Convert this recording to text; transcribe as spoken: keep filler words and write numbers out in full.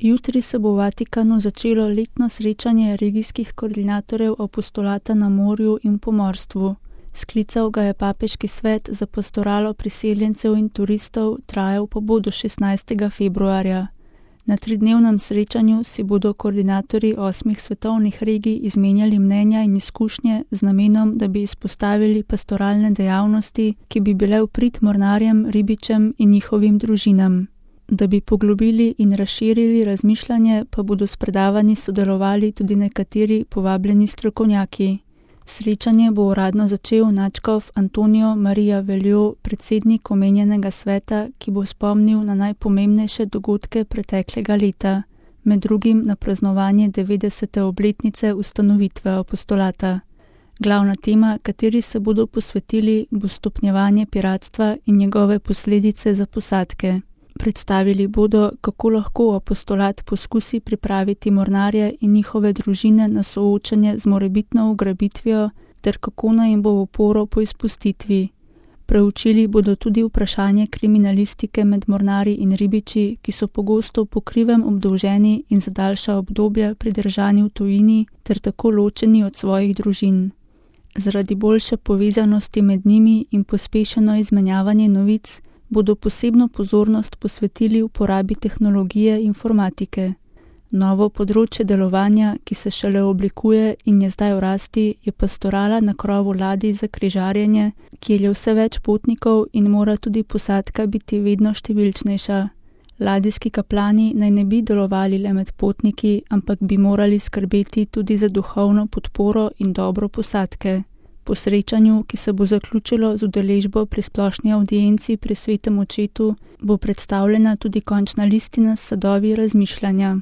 Jutri se bo v Vatikanu začelo letno srečanje regijskih koordinatorjev apostolata na morju in v pomorstvu. Sklical ga je Papeški svet za pastoralo priseljencev in turistov, trajal pa bo do šestnajstega februarja. Na tridnevnem srečanju si bodo koordinatorji osmih svetovnih regij izmenjali mnenja in izkušnje z namenom, da bi izpostavili pastoralne dejavnosti, ki bi bile v prid mornarjem, ribičem in njihovim družinam. Da bi poglobili in razširili razmišljanje, pa bodo s predavanji sodelovali tudi nekateri povabljeni strokovnjaki. Srečanje bo uradno začel nadškof Antonijo Marija Veljo, predsednik omenjenega sveta, ki bo spomnil na najpomembnejše dogodke preteklega leta, med drugim na praznovanje devetdesete obletnice ustanovitve apostolata. Glavna tema, kateri se bodo posvetili, bo stopnjevanje piratstva in njegove posledice za posadke. Predstavili bodo, kako lahko apostolat poskusi pripraviti mornarje in njihove družine na soočanje z morebitno ugrabitvijo ter kako naj jim bo v oporo po izpustitvi. Preučili bodo tudi vprašanje kriminalistike med mornarji in ribiči, ki so pogosto po krivem obdolženi in za daljša obdobja pridržani v tujini ter tako ločeni od svojih družin. Zaradi boljše povezanosti med njimi in pospešeno izmenjavanje novic bodo posebno pozornost posvetili uporabi tehnologije informatike. Novo področje delovanja, ki se šele oblikuje in je zdaj v rasti, je pastorala na krovu ladij za križarjenje, kjer je vse več potnikov in mora tudi posadka biti vedno številčnejša. Ladijski kaplani naj ne bi delovali le med potniki, ampak bi morali skrbeti tudi za duhovno podporo in dobro posadke. Po srečanju, ki se bo zaključilo z udeležbo pri splošni avdienci pri Svetem očetu, bo predstavljena tudi končna listina s sadovi razmišljanja.